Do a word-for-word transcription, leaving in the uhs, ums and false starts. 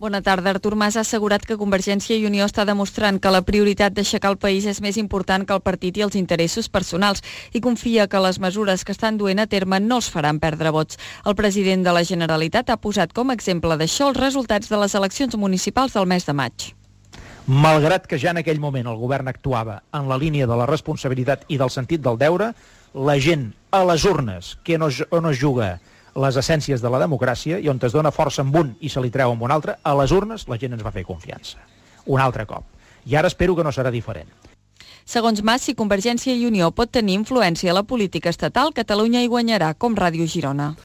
Bona tarda. Artur Mas ha assegurat que Convergència i Unió està demostrant que la prioritat d'aixecar el país és més important que el partit i els interessos personals i confia que les mesures que estan duent a terme no els faran perdre vots. El president de la Generalitat ha posat com a exemple d'això els resultats de les eleccions municipals del mes de maig. Malgrat que ja en aquell moment el govern actuava en la línia de la responsabilitat i del sentit del deure, la gent a les urnes, que no, on es juga les essències de la democràcia i on es dona força amb un i se li treu amb un altre, a les urnes la gent ens va fer confiança. Un altre cop. I ara espero que no serà diferent. Segons Mas, si Convergència i Unió pot tenir influència a la política estatal, Catalunya hi guanyarà, com Ràdio Girona.